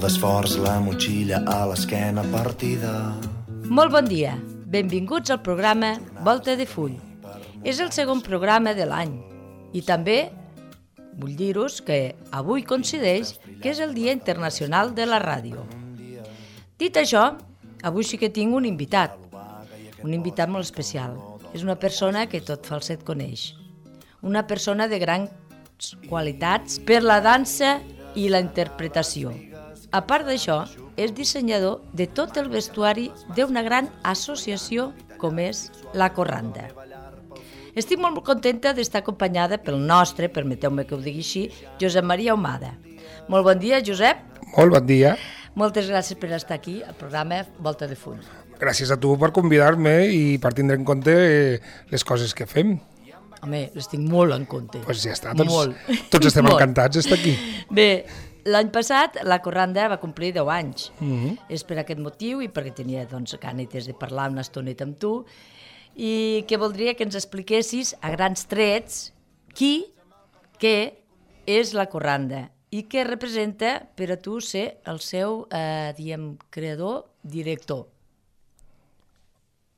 d'esforç, la motxilla a l'esquena partida. Molt bon dia, benvinguts al programa Volta de Full. És el segon programa de l'any i també vull dir-vos que avui coincideix que és el Dia Internacional de la Ràdio. Dit això, avui sí que tinc un invitat molt especial. És una persona que tot Falset coneix. Una persona de grans qualitats per la dansa i la interpretació. A part d'això, és dissenyador de tot el vestuari d'una gran associació com és la Corranda. Estic molt contenta d'estar acompanyada pel nostre, permeteu-me que ho digui així, Josep Maria Ahumada. Molt bon dia, Josep. Molt bon dia. Moltes gràcies per estar aquí al programa Volta de Full. Gràcies a tu per convidar-me i per tindre en compte les coses que fem. Home, les tinc molt en compte. Doncs ja està, tots estem encantats d'estar aquí. Bé, l'any passat la Corranda va complir 10 anys. És per aquest motiu i perquè tenia ganes de parlar una estoneta amb tu i que voldria que ens expliquessis a grans trets què és la Corranda i què representa per a tu ser el seu, creador, director.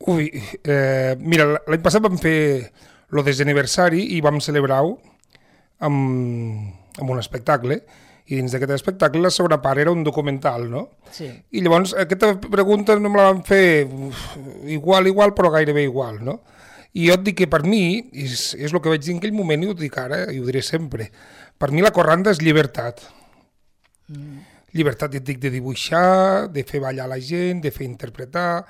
Mira, l'any passat vam fer el desaniversari i vam celebrar-ho amb un espectacle. I dins d'aquest espectacle la segona part era un documental, no? Sí. I llavors aquesta pregunta no me la van fer igual, però gairebé igual, no? I jo et dic que per mi, és el que vaig dir en aquell moment i ho dic ara i ho diré sempre, per mi la Corranda és llibertat. Llibertat, et dic, de dibuixar, de fer ballar la gent, de fer interpretar,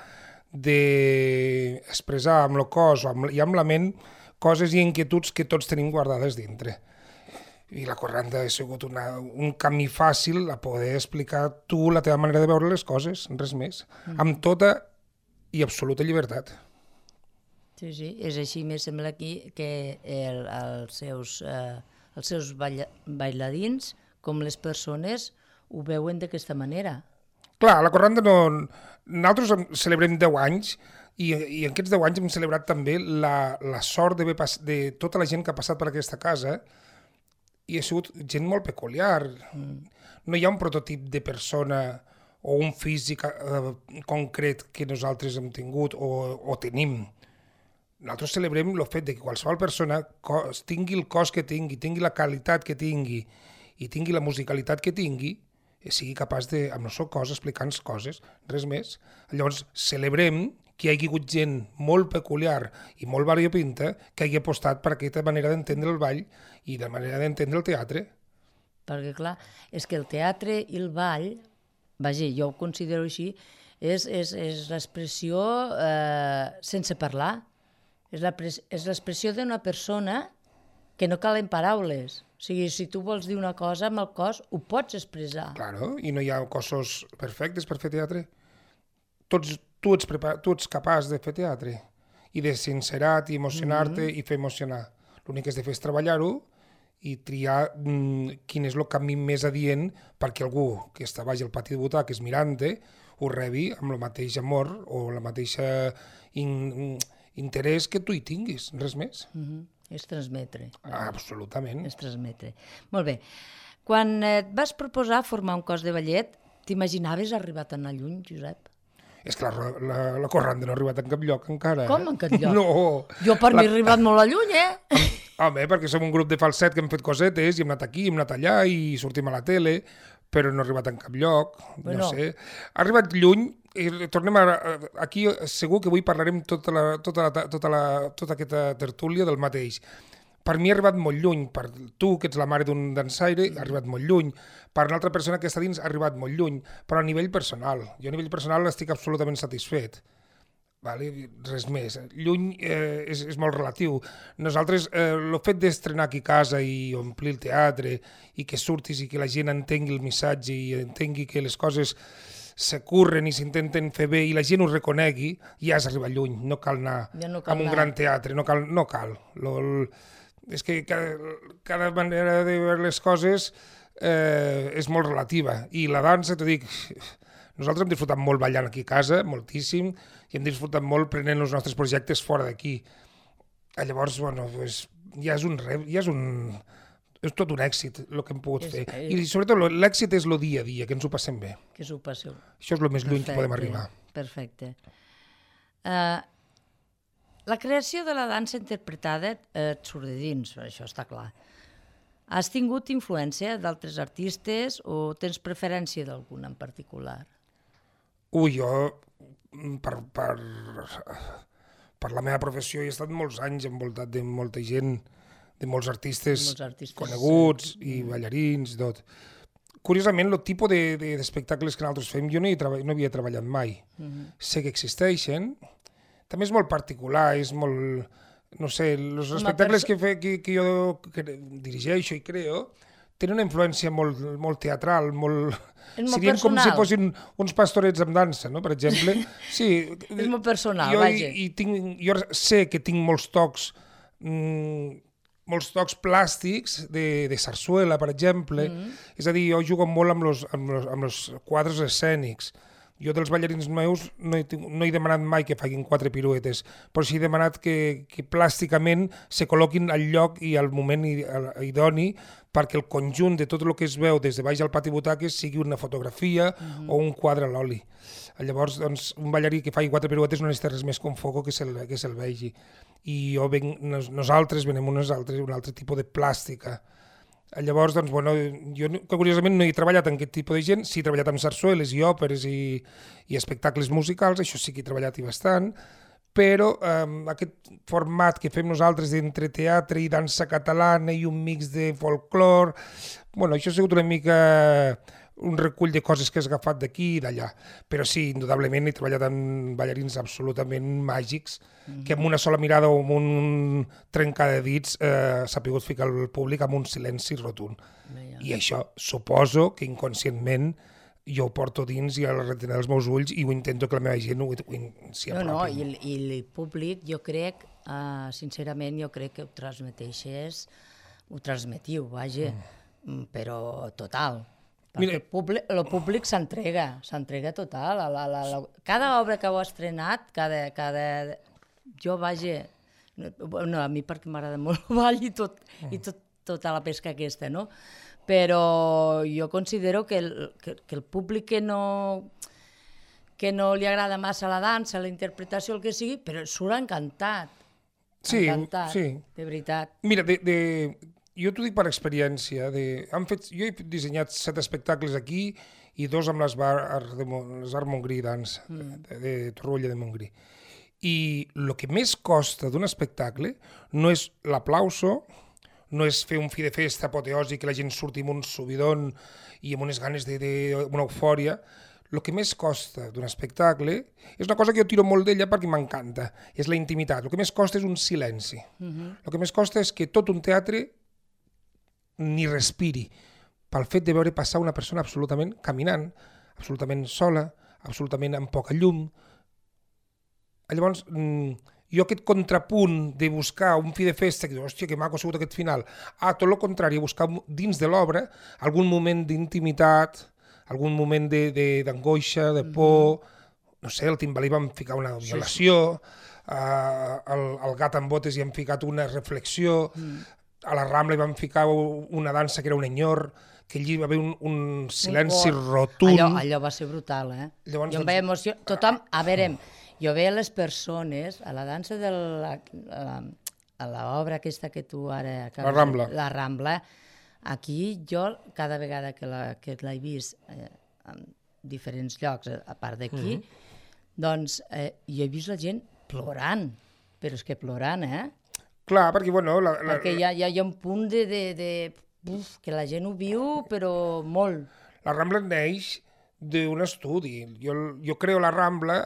d'expressar amb el cos i amb la ment coses i inquietuds que tots tenim guardades dintre. I la Corranda ha sigut un camí fàcil a poder explicar tu la teva manera de veure les coses, res més, amb tota i absoluta llibertat. Sí, és així, me sembla aquí que els seus bailarins, com les persones, ho veuen d'aquesta manera. Clar, la Corranda nosaltres celebrem 10 anys i en aquests 10 anys hem celebrat també la sort de tota la gent que ha passat per aquesta casa i ha sigut gent molt peculiar. No hi ha un prototip de persona o un físic concret que nosaltres hem tingut o tenim. Nosaltres celebrem el fet de que qualsevol persona tingui el cos que tingui la qualitat que tingui i tingui la musicalitat que tingui, sigui capaç de, amb el seu cos, explicar coses, res més. Llavors, celebrem que hi hagi hagut gent molt peculiar i molt variopinta que hagi apostat per aquesta manera d'entendre el ball i de manera d'entendre el teatre. Perquè, clar, és que el teatre i el ball, vaja, jo ho considero així, és l'expressió sense parlar. És l'expressió d'una persona que no calen paraules. O sigui, si tu vols dir una cosa amb el cos, ho pots expressar. Claro, i no hi ha cossos perfectes per fer teatre. Tu ets capaç de fer teatre i de sincerar-te i emocionar-te i fer emocionar. L'únic que has de fer és treballar-ho i triar quin és el camí més adient perquè algú que està baix al pati de butaques mirant-te ho rebi amb el mateix amor o la mateixa interès que tu hi tinguis, res més. És transmetre. Absolutament. És transmetre. Molt bé. Quan et vas proposar formar un cos de ballet, t'imaginaves arribar tan lluny, Josep? És clar, la Corranda no ha arribat en cap lloc encara. Com en cap lloc? No. Jo per mi he arribat molt lluny, Home, perquè som un grup de falset que hem fet cosetes i hem anat aquí, hem anat allà i sortim a la tele, però no ha arribat en cap lloc, no sé. Ha arribat lluny i tornem aquí, segur que avui parlarem tota aquesta tertúlia del mateix. Per mi ha arribat molt lluny, per tu, que ets la mare d'un dansaire, ha arribat molt lluny, per una altra persona que està dins ha arribat molt lluny, però a nivell personal. Jo a nivell personal estic absolutament satisfet. Res més. Lluny és molt relatiu. Nosaltres, el fet d'estrenar aquí a casa i omplir el teatre i que surtis i que la gent entengui el missatge i entengui que les coses se curren i s'intenten fer bé i la gent ho reconegui, ja has arribat lluny. No cal anar a un gran teatre, no cal. És que cada manera de veure les coses és molt relativa. I la dansa, t'ho dic, nosaltres hem disfrutat molt ballant aquí a casa, moltíssim, i hem disfrutat molt prenent els nostres projectes fora d'aquí. Llavors, ja és és tot un èxit el que hem pogut fer. I sobretot l'èxit és el dia a dia, que ens ho passem bé. Que s'ho passeu. Això és el més lluny que podem arribar. Perfecte. La creació de la dansa interpretada et surt de dins, això està clar. Has tingut influència d'altres artistes o tens preferència d'algun en particular? Jo, per la meva professió, he estat molts anys envoltat de molta gent, de molts artistes coneguts i ballarins, tot. Curiosament, el tipus d'espectacles que nosaltres fem, jo no havia treballat mai. Sé que existeixen. També és molt particular, és molt... No sé, els espectacles que jo dirigeixo i creo tenen una influència molt teatral, molt... Serien com si fossin uns pastorets amb dansa, no? Per exemple. Sí, és molt personal, vaja. Jo sé que tinc molts tocs plàstics de sarsuela, per exemple. És a dir, jo jugo molt amb els quadres escènics. Jo dels ballarins meus no he demanat mai que facin 4 piruetes, però sí he demanat que plàsticament se col·loquin al lloc i al moment idoni perquè el conjunt de tot el que es veu des de baix al pati butaques sigui una fotografia o un quadre a l'oli. Llavors, doncs, un ballarí que faci 4 piruetes no necessita res més que un foco que se'l vegi. I nosaltres venem un altre tipus de plàstica. Llavors, doncs, bueno, jo curiosament no he treballat amb aquest tipus de gent, sí he treballat amb sarsueles i òperes i espectacles musicals, això sí que he treballat i bastant, però aquest format que fem nosaltres d'entre teatre i dansa catalana i un mix de folclore, bueno, això ha sigut una mica un recull de coses que has agafat d'aquí i d'allà, però sí, indudablement he treballat amb ballarins absolutament màgics, que amb una sola mirada o amb un trencar de dits s'ha pogut ficar al públic amb un silenci rotund. I això suposo que inconscientment jo ho porto dins i a la retina dels meus ulls i ho intento que la meva gent s'hi apropi. No, i el públic, jo crec, sincerament, jo crec que ho transmetiu, vaja, però total. Perquè el públic s'entrega total. Cada obra que heu estrenat, jo vaja... No, a mi perquè m'agrada molt el ball i tota la pesca aquesta, no? Però jo considero que el públic que no li agrada massa la dansa, la interpretació, el que sigui, però surt encantat. Sí, de veritat. Mira, jo t'ho dic per experiència. Jo he dissenyat 7 espectacles aquí i 2 amb les Art Montgrí Dance, de Torroella de Montgrí. I el que més costa d'un espectacle no és l'aplauso, no és fer un fi de festa apoteòsic que la gent surti amb un subidon i amb unes ganes d'una eufòria. El que més costa d'un espectacle és una cosa que jo tiro molt d'ella perquè m'encanta, és la intimitat. El que més costa és un silenci. El que més costa és que tot un teatre ni respiri pel fet de veure passar una persona absolutament caminant, absolutament sola, absolutament amb poca llum. Llavors, jo aquest contrapunt de buscar un fi de festa, que dius, hòstia, que maco ha sigut aquest final, tot el contrari, buscar dins de l'obra algun moment d'intimitat, algun moment d'angoixa, de por, no sé, el Timbalí vam ficar una violació, al Gat amb botes hi hem ficat una reflexió, a la Rambla hi vam ficar una dansa que era un enyor, que allí va haver un silenci rotund. Allò va ser brutal, eh? Jo em vaig emocionar. Tothom, a veure, jo veia les persones, a la dansa a l'obra aquesta que tu ara... La Rambla. La Rambla. Aquí jo, cada vegada que l'he vist en diferents llocs, a part d'aquí, doncs jo he vist la gent plorant, però és que plorant, Clar, perquè, bueno... Perquè hi ha un punt que la gent ho viu, però molt. La Rambla neix d'un estudi. Jo creo la Rambla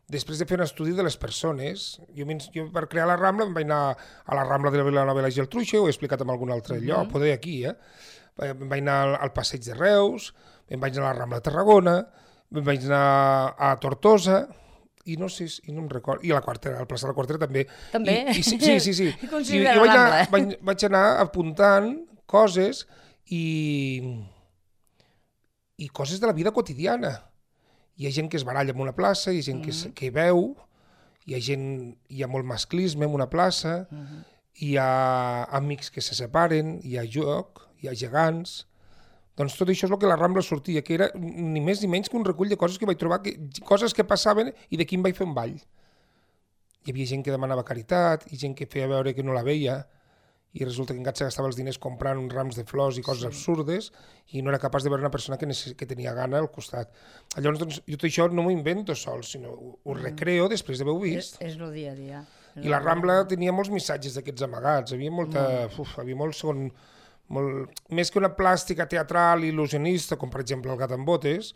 després de fer un estudi de les persones. Jo per crear la Rambla em vaig anar a la Rambla de la Vilanova i la Geltrúixer, ho he explicat en algun altre lloc, poder aquí, Em vaig anar al Passeig de Reus, em vaig anar a la Rambla de Tarragona, em vaig anar a Tortosa, i no sé, no em recordo, i a la Quartera, al plaça de la Quartera també. També? Sí. I vaig anar apuntant coses i coses de la vida quotidiana. Hi ha gent que es baralla en una plaça, hi ha gent que veu, hi ha molt masclisme en una plaça, hi ha amics que se separen, hi ha joc, hi ha gegants. Doncs tot això és el que la Rambla sortia, que era ni més ni menys que un recull de coses que vaig trobar, coses que passaven i d'aquí em vaig fer un ball. Hi havia gent que demanava caritat, i gent que feia veure que no la veia, i resulta que encara se gastava els diners comprant uns rams de flors i coses absurdes, i no era capaç de veure una persona que tenia gana al costat. Llavors, doncs, jo tot això no m'ho invento sol, sinó ho recreo després d'haver-ho vist. És el dia a dia. I la Rambla tenia molts missatges d'aquests amagats, havia més que una plàstica teatral il·lusionista, com per exemple el Gat amb botes,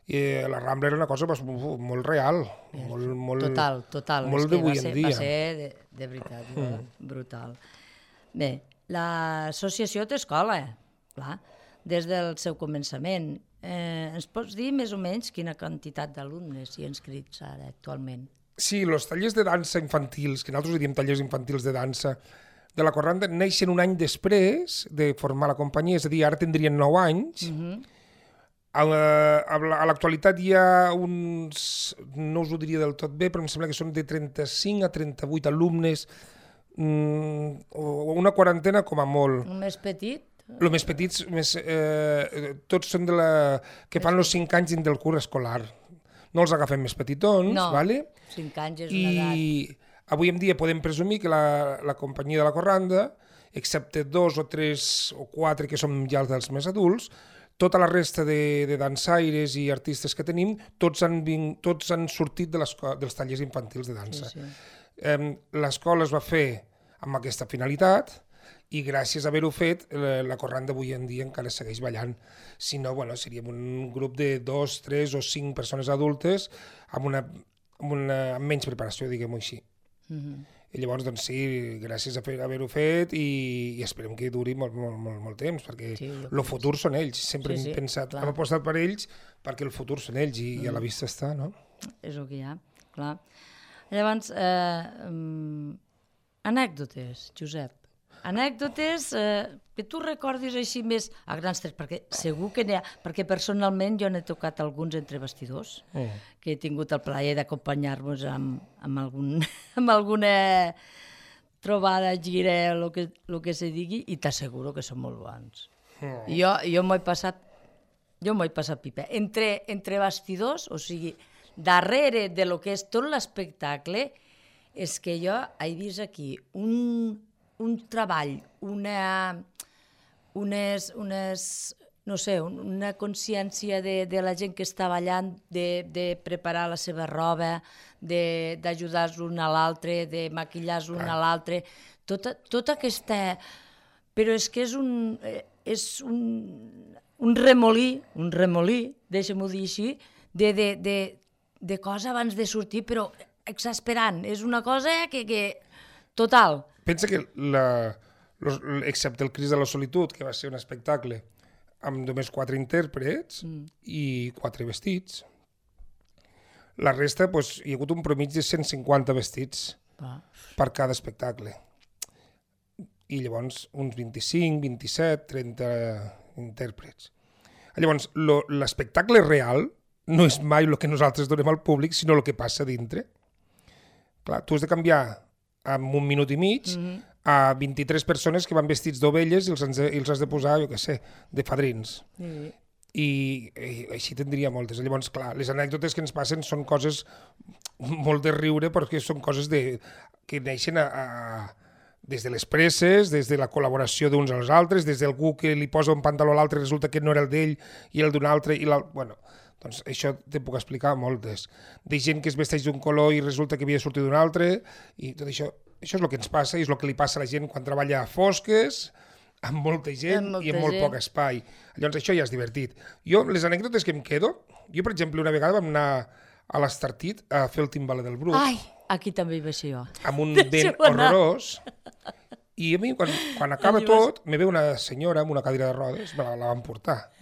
la Rambla era una cosa molt real, molt d'avui en dia. Va ser de veritat, brutal. Bé, l'associació té escola, clar, des del seu començament. Ens pots dir més o menys quina quantitat d'alumnes hi ha inscrits ara actualment? Sí, els tallers de dansa infantils, que nosaltres diem tallers infantils de dansa, de la Corranda neixen un any després de formar la companyia, és a dir, ara tindrien 9 anys. A l'actualitat hi ha uns, no us ho diria del tot bé, però em sembla que són de 35 a 38 alumnes, o una quarantena com a molt. El més petit? Els més petits, tots són que fan els 5 anys dins del curs escolar. No els agafem més petitons, no, vale? 5 anys és una edat. I avui en dia podem presumir que la companyia de la Corranda, excepte 2 o 3 o 4 que som ja dels més adults, tota la resta de dansaires i artistes que tenim, tots han sortit dels tallers infantils de dansa. Sí. L'escola es va fer amb aquesta finalitat i gràcies a haver-ho fet, la Corranda avui en dia encara segueix ballant. Si no, seríem un grup de 2, 3 o 5 persones adultes amb menys preparació, diguem-ho així. I llavors, doncs sí, gràcies a haver-ho fet i esperem que duri molt temps, perquè el futur són ells. Sempre hem pensat, hem apostat per ells perquè el futur són ells i a la vista està, no? És el que hi ha, clar. Llavors, anècdotes, Josep. Anècdotes que tu recordis així més a grans trets, perquè segur que n'hi ha, perquè personalment jo n'he tocat alguns entre bastidors, que he tingut el plaer d'acompanyar-vos amb alguna trobada, gira, el que se digui, i t'asseguro que són molt bons. Jo m'ho he passat pipa. Entre bastidors, o sigui, darrere de lo que és tot l'espectacle, és que jo he vist aquí un treball, una consciència de la gent que està ballant, de preparar la seva roba, d'ajudar-los l'un a l'altre, de maquillar-los l'un a l'altre, tota aquesta... Però és que és un remolí, deixa'm-ho dir així, de cosa abans de sortir, però exasperant. És una cosa que total. Pensa que, excepte el Cris de la Solitud, que va ser un espectacle amb només 4 intèrprets i 4 vestits, la resta hi ha hagut un promig de 150 vestits per cada espectacle. I llavors uns 25, 27, 30 intèrprets. Llavors, l'espectacle real no és mai el que nosaltres donem al públic, sinó el que passa dintre. Clar, tu has de canviar en un minut i mig a 23 persones que van vestits d'ovelles i els has de posar, jo què sé, de fadrins. I així tindria moltes. Llavors, clar, les anècdotes que ens passen són coses molt de riure perquè són coses que neixen des de les presses, des de la col·laboració d'uns als altres, des d'algú que li posa un pantaló a l'altre i resulta que no era el d'ell i el d'un altre i l'altre... Bueno, doncs això te puc explicar moltes. De gent que es vesteix d'un color i resulta que havia sortit d'un altre, i tot això és el que ens passa i és el que li passa a la gent quan treballa a fosques, amb molta gent i amb molt poc espai. Llavors això ja és divertit. Jo, les anècdotes que em quedo, per exemple, una vegada vam anar a l'Estartit a fer el timbaler del Bruc. Ai, aquí també hi vaig ser jo. Amb un vent horrorós. I a mi, quan acaba tot, me ve una senyora amb una cadira de rodes, me la van portar.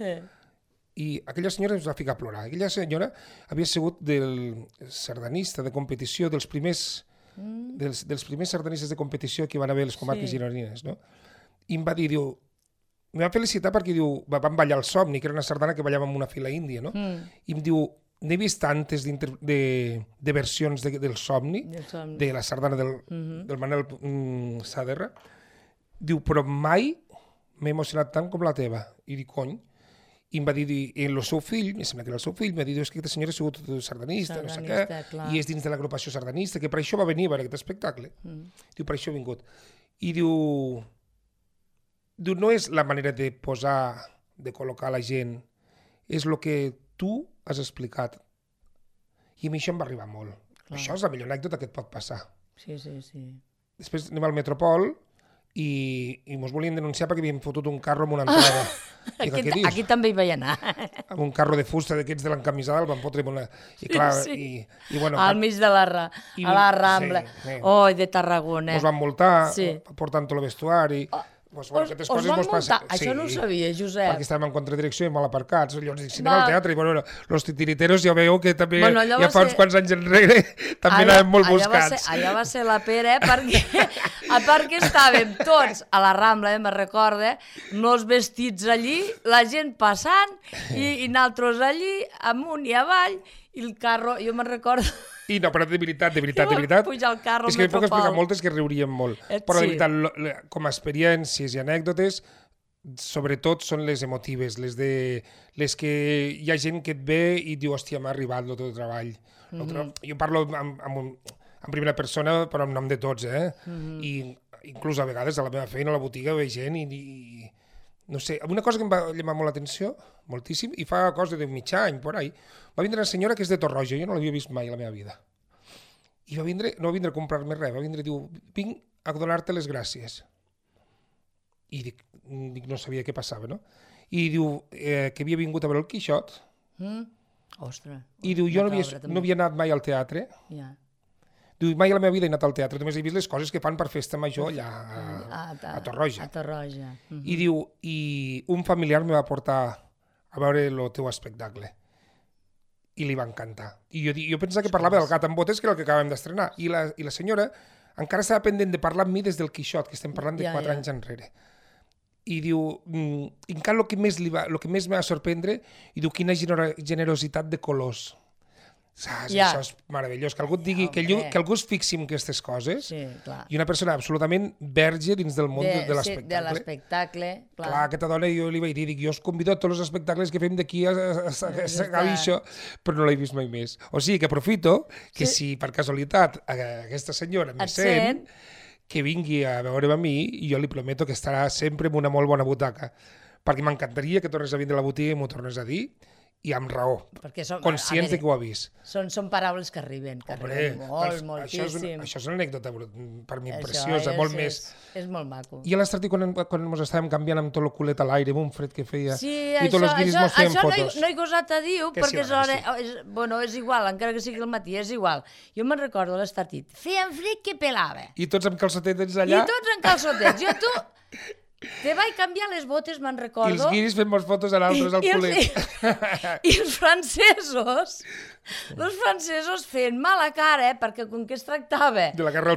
I aquella senyora es va ficar a plorar. Aquella senyora havia sigut del sardanista de competició, dels primers sardanistes de competició que van haver les comarques gironines, no? I em va dir, em va felicitar perquè vam ballar el Somni, que era una sardana que ballava amb una fila índia, no? I em diu, n'he vist tantes de versions del somni, de la sardana del Manel Saderra. Diu, però mai m'he emocionat tant com la teva. I dic, cony. I em va dir, el seu fill, em sembla que era el seu fill, em va dir, és que aquesta senyora ha sigut sardanista, no sé què, i és dins de l'agrupació sardanista, que per això va venir a veure aquest espectacle. Diu, per això ha vingut. I diu, no és la manera de posar, de col·locar la gent, és el que tu has explicat. I a mi això em va arribar molt. Això és la millor anècdota que et pot passar. Sí. Després anem al Metropol i mos volien denunciar perquè havíem fotut un carro amb una entrada. Aquí també hi vaig anar. Amb un carro de fusta d'aquests de l'encamisada el van fotre amb una... Bueno, al mig de a la Rambla. De Tarragona. Mos van multar, portant tot el vestuari... Us van multar? Això no ho sabia, Josep. Perquè estàvem en contradirecció i mal aparcats. Llavors dic, si anem al teatre, i bueno, los titiriteros ja veieu que també ja fa uns quants anys enrere també anàvem molt buscats. Allà va ser la pera, perquè a part que estàvem tots a la Rambla, me'n recorda, molts vestits allí, la gent passant, i nosaltres allí, amunt i avall, i el carro, jo me'n recordo... I no, però de veritat. Pujar al carro és que puc explicar moltes que riuríem molt. Però de veritat, com a experiències i anècdotes, sobretot són les emotives, les que hi ha gent que et ve i diu, hòstia, m'ha arribat el teu treball. Jo parlo en primera persona, però en nom de tots, I inclús a vegades a la meva feina, a la botiga, ve gent i no sé, una cosa que em va llamar molt l'atenció, moltíssim, i fa cosa de mig any, por ahí, va vindre una senyora que és de Torroja, jo no l'havia vist mai a la meva vida. I no va vindre a comprar-me res, va vindre i diu, vinc a donar-te les gràcies. I dic, no sabia què passava, no? I diu que havia vingut a veure el Quixot. Ostres. I diu, jo no havia anat mai al teatre. Diu, mai a la meva vida he anat al teatre, només he vist les coses que fan per festa major allà a Torroja. I diu, i un familiar me va portar a veure el teu espectacle. I li va encantar. I jo pensava que parlava del Gat amb botes, que era el que acabem d'estrenar. I la senyora encara estava pendent de parlar amb mi des del Quixot, que estem parlant de 4 anys enrere. I diu, encara el que més me va sorprendre, i diu, quina generositat de colors. Això és meravellós, que algú et digui, que algú es fixi en aquestes coses, i una persona absolutament verge dins del món de l'espectacle. De l'espectacle, clar. Clar, aquesta dona jo li vaig dir, jo us convido a tots els espectacles que fem d'aquí a acabi això, però no l'he vist mai més. O sigui que aprofito que si per casualitat aquesta senyora me sent, que vingui a veure'm a mi, i jo li prometo que estarà sempre en una molt bona butaca, perquè m'encantaria que tornes a vindre a la botiga i m'ho tornes a dir, i amb raó, conscients de que ho ha vist. Són paraules que arriben, moltíssim. Això és una anècdota per mi preciosa, molt més. És molt maco. I a l'Estartit, quan ens estàvem canviant amb tot el culet a l'aire, amb un fred que feia, i tots els guiris mos feien fotos. Això no he gosat a dir-ho, perquè és igual, encara que sigui el matí, és igual. Jo me'n recordo a l'Estartit, feien fred que pelava. I tots amb calçotets allà? I tots amb calçotets. Jo te vaig canviar les botes, me'n recordo. I els guiris fent molts fotos a l'altres al culet. I els francesos feien mala cara, perquè com que es tractava de la guerra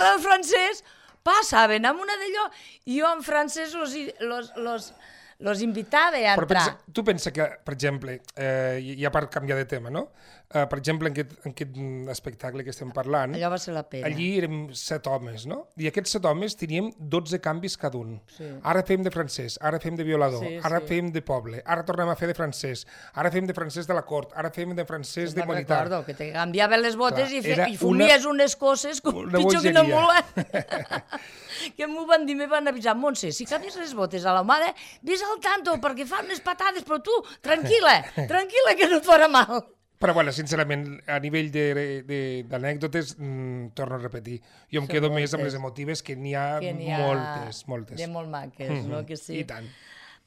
del francès, passaven amb una d'allò, i jo en francès los invitava a entrar. Tu pensa que, per exemple, ja per canviar de tema, no? Per exemple, en aquest espectacle que estem parlant, allò va ser la pena. Allí érem 7 homes, no? I aquests 7 homes teníem 12 canvis cada un. Ara fem de francès, ara fem de violador, ara fem de poble, ara tornem a fer de francès, ara fem de francès de la cort, ara fem de francès de militar. Recordo que te canviaven les botes i fumies unes coses pitjor que no volen. Que m'ho van dir, me van avisar, Montse, si canvies les botes a la mare, ves al tanto, perquè fan unes patades, però tu, tranquil·la, que no et farà mal. Però, bueno, sincerament, a nivell d'anècdotes, torno a repetir, jo em quedo més amb les emotives, que n'hi ha moltes. De molt maques, no? Que sí. I tant.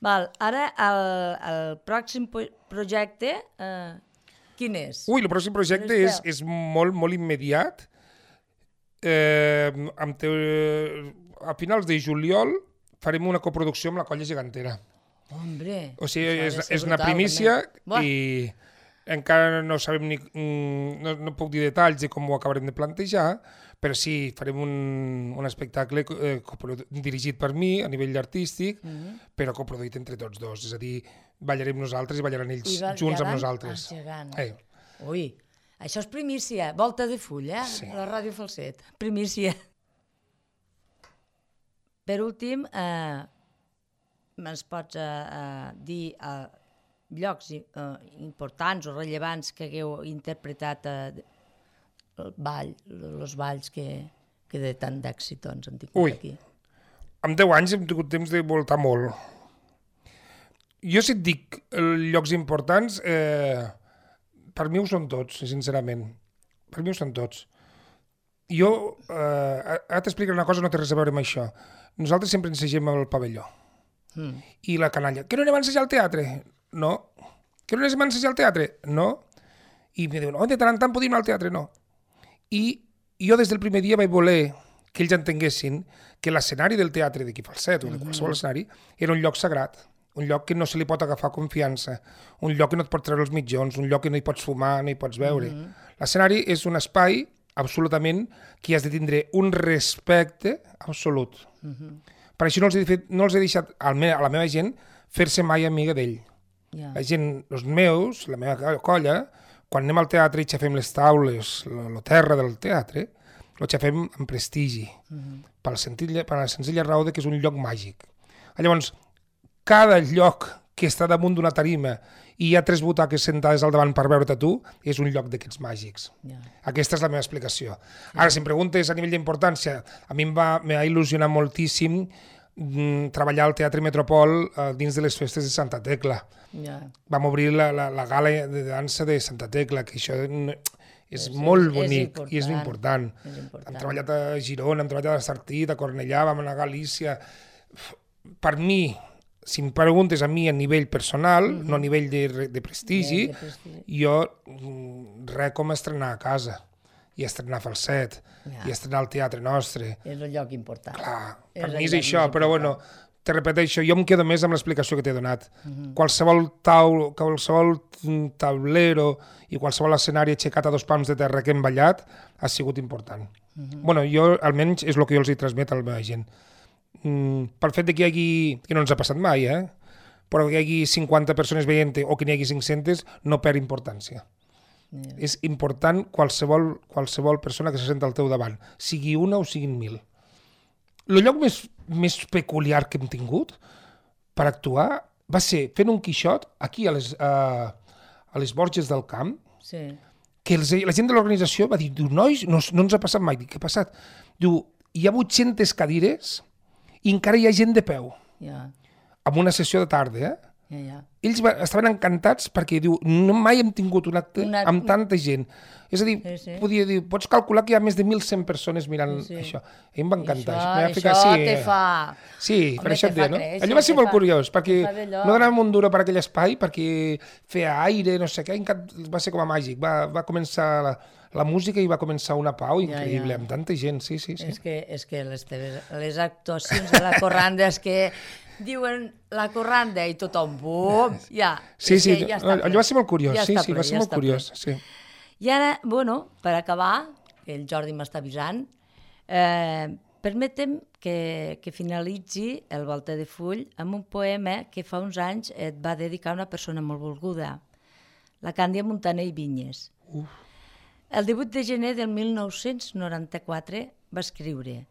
Val, ara, el pròxim projecte, quin és? Ui, el pròxim projecte és molt immediat. A finals de juliol farem una coproducció amb la Colla Gegantera. Hombre! O sigui, és una primícia i encara no sabem no puc dir detalls de com ho acabarem de plantejar, però sí, farem un espectacle dirigit per mi a nivell artístic, però coproduït entre tots dos. És a dir, ballarem nosaltres i ballaran ells junts amb nosaltres. Ui, això és primícia, volta de full, Sí. A la Ràdio Falset, primícia. Per últim, ens pots dir llocs importants o rellevants que hagueu interpretat els balls que de tant d'èxit doncs, han tingut aquí. En 10 anys hem tingut temps de voltar molt. Jo si et dic llocs importants, per mi ho són tots, sincerament. Per mi ho són tots. Jo, ara t'explico una cosa, no té res a veure amb això. Nosaltres sempre ensegem al pavelló. I la canalla, que no anem a ensejar al teatre? No. Que no anem a ensejar al teatre? No. I em diuen, de tant en tant podem anar al teatre? No. I jo des del primer dia vaig voler que ells entenguessin que l'escenari del teatre d'aquí Falset o de qualsevol escenari era un lloc sagrat, un lloc que no se li pot agafar confiança, un lloc que no et pot treure els mitjons, un lloc que no hi pots fumar, no hi pots veure. L'escenari és un espai absolutament que has de tindre un respecte absolut. Per això no els he deixat a la meva gent fer-se mai amiga d'ell. La gent, els meus, la meva colla, quan anem al teatre i xafem les taules, la terra del teatre, ho xafem amb prestigi, per la senzilla raó que és un lloc màgic. Llavors, cada lloc que està damunt d'una tarima i hi ha 3 butaques sentades al davant per veure't a tu, és un lloc d'aquests màgics. Aquesta és la meva explicació. Ara, si em preguntes a nivell d'importància, a mi m'ha il·lusionat moltíssim treballar al Teatre Metropol dins de les festes de Santa Tecla. Vam obrir la gala de dansa de Santa Tecla, que això és molt bonic i és important. Hem treballat a Girona, hem treballat a Sartit, a Cornellà, vam anar a Galícia. Per mi, si em preguntes a mi a nivell personal, no a nivell de prestigi, jo res com estrenar a casa i estrenar Falset i estrenar al teatre nostre. És un lloc important. Clar, per mi és això, però bueno, te repeteixo, jo em quedo més amb l'explicació que t'he donat. Qualsevol taulero i qualsevol escenari aixecat a 2 pams de terra que hem ballat ha sigut important. Bueno, jo almenys és el que jo els hi transmet a la meva gent. Pel fet que hi hagi, que no ens ha passat mai, però que hi hagi 50 persones veient o que n'hi hagi 500, no perd importància. És important qualsevol persona que se senta al teu davant, sigui una o siguin 1000. El lloc més peculiar que hem tingut per actuar va ser fent un Quixot aquí a les Borges del Camp, que la gent de l'organització va dir, nois, no ens ha passat mai. Dic, què ha passat? Diu, hi ha 800 cadires i encara hi ha gent de peu. En una sessió de tarda, Ells estaven encantats perquè diu, no mai hem tingut un acte amb tanta gent. És a dir, podia dir, pots calcular que hi ha més de 1.100 persones mirant això. A mi em va encantar. Això te fa... Sí, per això et deia, no? Allò va ser molt curiós, perquè no donàvem un duro per aquell espai, perquè feia aire, no sé què, va ser com a màgic. Va començar la música i va començar una pau increïble, amb tanta gent, sí. És que les actuacions de la corranda és que diuen la corranda i tothom, bum, ja. Sí, allò va ser molt curiós, sí, va ser molt curiós, sí. I ara, bueno, per acabar, que el Jordi m'està avisant, permetem que finalitzi el Volta de Full amb un poema que fa uns anys et va dedicar una persona molt volguda, la Càndia Montaner i Vinyes. El 18 de gener del 1994 va escriure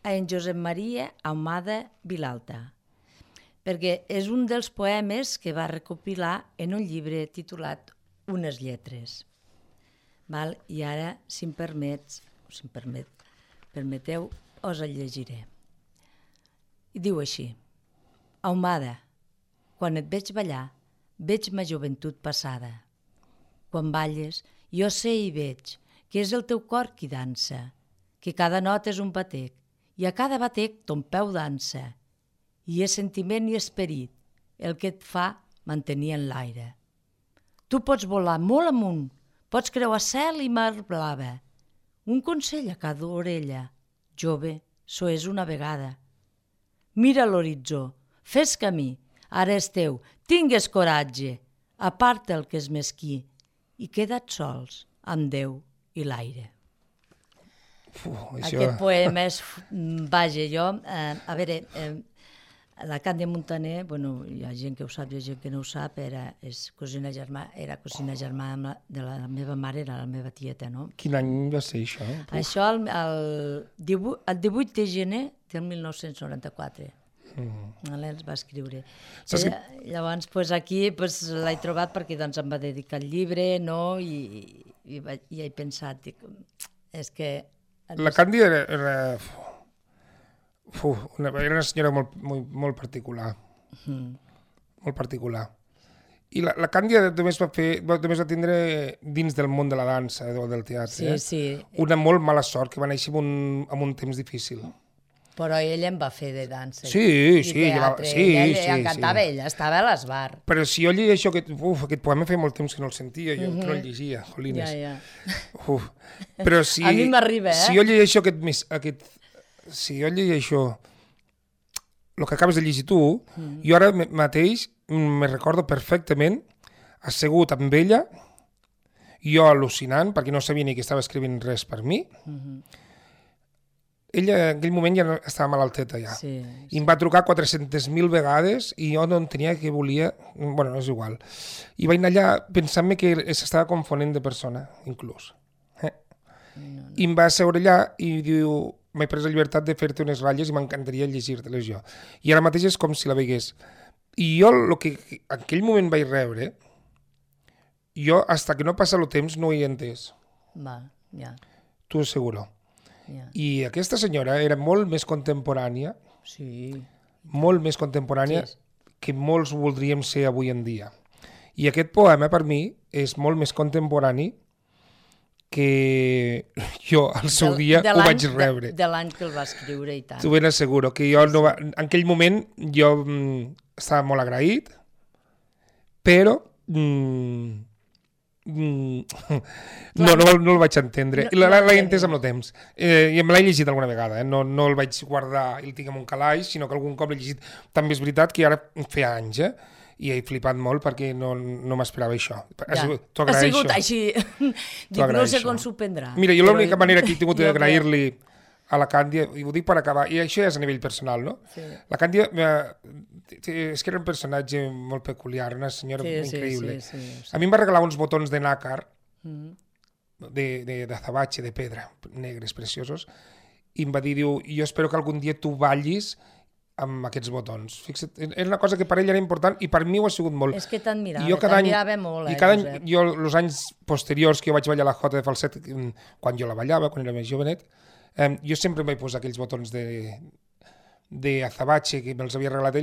a en Josep Maria Ahumada Vilalta, perquè és un dels poemes que va recopilar en un llibre titulat Unes lletres. I ara, si em permeteu, us el llegiré. I diu així: Ahumada, quan et veig ballar, veig ma joventut passada. Quan balles, jo sé i veig que és el teu cor qui dansa, que cada nota és un batec, i a cada batec ton peu dansa, i és sentiment i esperit el que et fa mantenir en l'aire. Tu pots volar molt amunt, pots creuar cel i mar blava. Un consell a cada orella, jove, so és una vegada. Mira l'horitzó, fes camí, ara és teu, tingues coratge, aparta el que és mesquí i queda't sols amb Déu i l'aire. Aquest poema és... Vaja, jo... A veure... La Càndia Montaner, bueno, hi ha gent que ho sap, hi ha gent que no ho sap, era cosina germana de la meva mare, era la meva tieta, no? Quin any va ser això? Això el 18 de gener del 1994. Els va escriure. Llavors, aquí l'he trobat perquè em va dedicar el llibre, no? I he pensat, és que... La Càndia era una senyora molt particular. Molt particular. I la Càndia només va tindre dins del món de la dansa o del teatre una molt mala sort, que va néixer en un temps difícil. Però ella en va fer de dansa i teatre. Ella encantava, ella estava a l'esbar. Però si jo llegeixo aquest poema feia molt temps que no el sentia, jo que no el llegia, jolines. Però si... A mi m'arriba, Si jo llegeixo si jo llegeixo el que acabes de llegir tu, jo ara mateix me recordo perfectament assegut amb ella, jo al·lucinant, perquè no sabia ni que estava escrivint res per mi. Ella en aquell moment ja estava malalteta ja. I em va trucar 400.000 vegades i jo no entenia què volia. Bueno, no és igual. I vaig anar allà pensant-me que s'estava confonent de persona, inclús. I em va asseure allà i diu, m'he pres la llibertat de fer-te unes ratlles i m'encantaria llegir-te-les jo. I ara mateix és com si la veigués. I jo el que en aquell moment vaig rebre, jo, hasta que no passa el temps, no ho he entès. T'ho asseguro. I aquesta senyora era molt més contemporània, molt més contemporània que molts voldríem ser avui en dia. I aquest poema, per mi, és molt més contemporani que jo al seu dia ho vaig rebre. De l'any que el va escriure i tant. T'ho ben asseguro, que jo en aquell moment jo estava molt agraït, però no el vaig entendre. L'he entès amb el temps. I me l'he llegit alguna vegada, no el vaig guardar i el tinc en un calaix, sinó que algun cop l'he llegit. També és veritat que ara feia anys, i he flipat molt perquè no m'esperava això. T'ho agraeixo. Ha sigut així. No sé com s'ho prendrà. Mira, jo l'única manera que he tingut d'agrair-li a la Càndia, i ho dic per acabar, i això ja és a nivell personal, no? La Càndia és que era un personatge molt peculiar, una senyora increïble. A mi em va regalar uns botons de nácar d'azabache, de pedra, negres, preciosos, i em va dir, jo espero que algun dia tu ballis amb aquests botons. Fixa't, era una cosa que per ell era important i per mi ho ha sigut molt. És que t'admirava molt. I cada any, jo, els anys posteriors que jo vaig ballar la jota de falset, quan jo la ballava, quan era més jovenet, jo sempre em vaig posar aquells botons d'azabache que me'ls havia regalat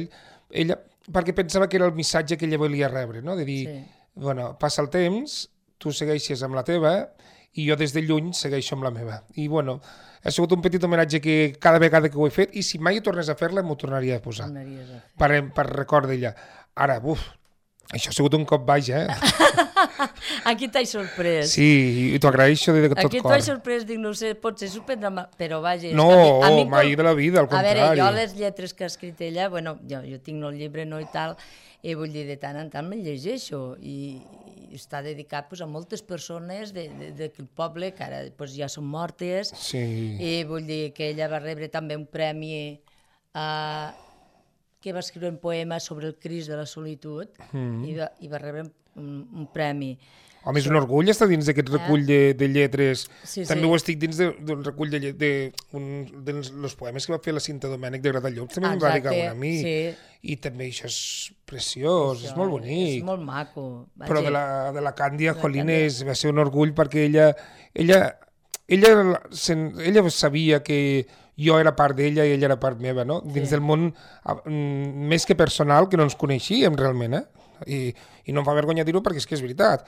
ella, perquè pensava que era el missatge que ella volia rebre, no? De dir, bueno, passa el temps, tu segueixes amb la teva i jo des de lluny segueixo amb la meva. I bueno, ha sigut un petit homenatge que cada vegada que ho he fet, i si mai tornés a fer-la m'ho tornaria a posar. Per record d'ella. Ara, això ha sigut un cop baix, Aquí t'he sorprès. Sí, i t'ho agraeixo de tot cor. Aquí t'he sorprès, dic, no sé, potser s'ho prendrà, però vaja... No, mai de la vida, al contrari. A veure, jo les lletres que ha escrit ella, bueno, jo tinc el llibre, no, i tal, i vull dir, de tant en tant me'l llegeixo, i està dedicat a moltes persones del poble que ara ja són mortes, i vull dir que ella va rebre també un premi que va escriure un poema sobre el Crist de la solitud, i va rebre un premi. Home, és un orgull estar dins d'aquest recull de lletres. També ho estic dins del recull dels poemes que va fer la Cinta Domènech de Gratallops, també em va dedicar una a mi. I també això és preciós, és molt bonic. És molt maco. Però de la Càndia, jolines, va ser un orgull perquè ella sabia que jo era part d'ella i ella era part meva, no? Dins del món més que personal, que no ens coneixíem realment, i no em fa vergonya dir-ho perquè és que és veritat.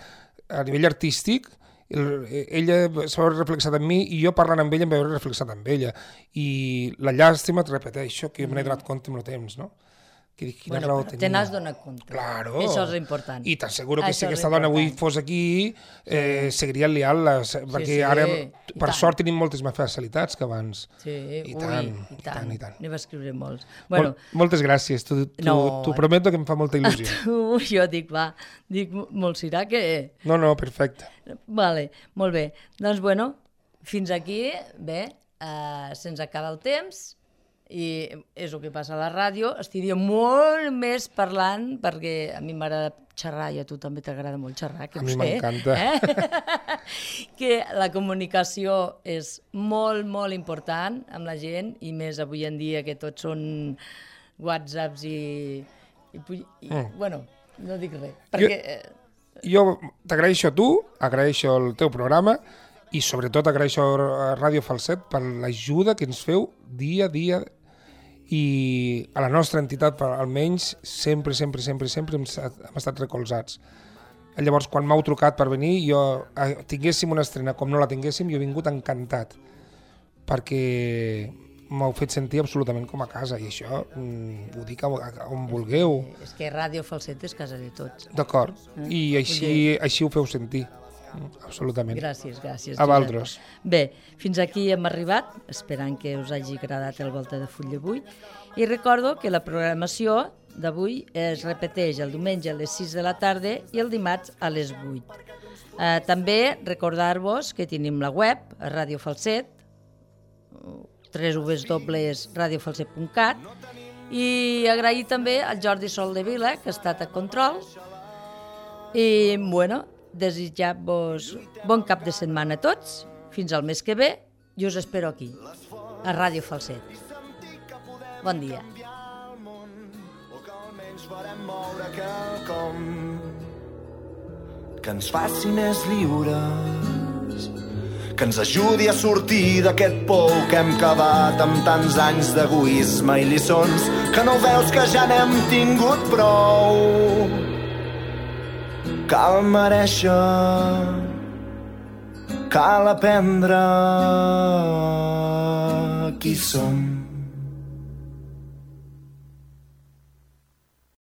A nivell artístic, ella s'ha reflexat en mi i jo parlant amb ella em vaig veure reflexat amb ella. I la llàstima, et repeteixo, que me n'he donat compte amb el temps, no? Que dic, quina raó tenia. Te n'has donat compte. Claro. Això és important. I t'asseguro que si aquesta dona avui fos aquí, seguiria liant-la, perquè ara, per sort, tenim moltes més facilitats que abans. Sí, i tant. N'hi va escriure molts. Moltes gràcies, t'ho prometo que em fa molta il·lusió. Jo dic, molt serà que... No, perfecte. Vale, molt bé. Doncs, bueno, fins aquí, bé, se'ns acaba el temps. I és el que passa a la ràdio, estaria molt més parlant, perquè a mi m'agrada xerrar i a tu també t'agrada molt xerrar, que a mi m'encanta. Que la comunicació és molt, molt important amb la gent, i més avui en dia que tots són whatsapps bueno, no dic res, perquè... Jo t'agraeixo a tu, agraeixo el teu programa i sobretot agraeixo a Ràdio Falset per l'ajuda que ens feu dia a dia, i a la nostra entitat almenys sempre hem estat recolzats. Llavors, quan m'heu trucat per venir, tinguéssim una estrena com no la tinguéssim, jo he vingut encantat, perquè m'heu fet sentir absolutament com a casa, i això ho dic on vulgueu. És que Ràdio Falset és casa de tots. D'acord, i així ho feu sentir. Absolutament. Gràcies. A vosaltres. Bé, fins aquí hem arribat, esperant que us hagi agradat el Volta de Full d'avui, i recordo que la programació d'avui es repeteix el diumenge a les 6 de la tarda i el dimarts a les 8. També recordar-vos que tenim la web, a Ràdio Falset, www.radiofalset.cat, i agrair també al Jordi Soldevila, que ha estat a control, i bueno, desitjar-vos bon cap de setmana a tots, fins al mes que ve, i us espero aquí, a Ràdio Falset. Bon dia. Que ens faci més lliures, que ens ajudi a sortir d'aquest pou que hem cavat amb tants anys d'egoisme i lliçons, que no veus que ja n'hem tingut prou. Cal merèixer, cal aprendre qui som.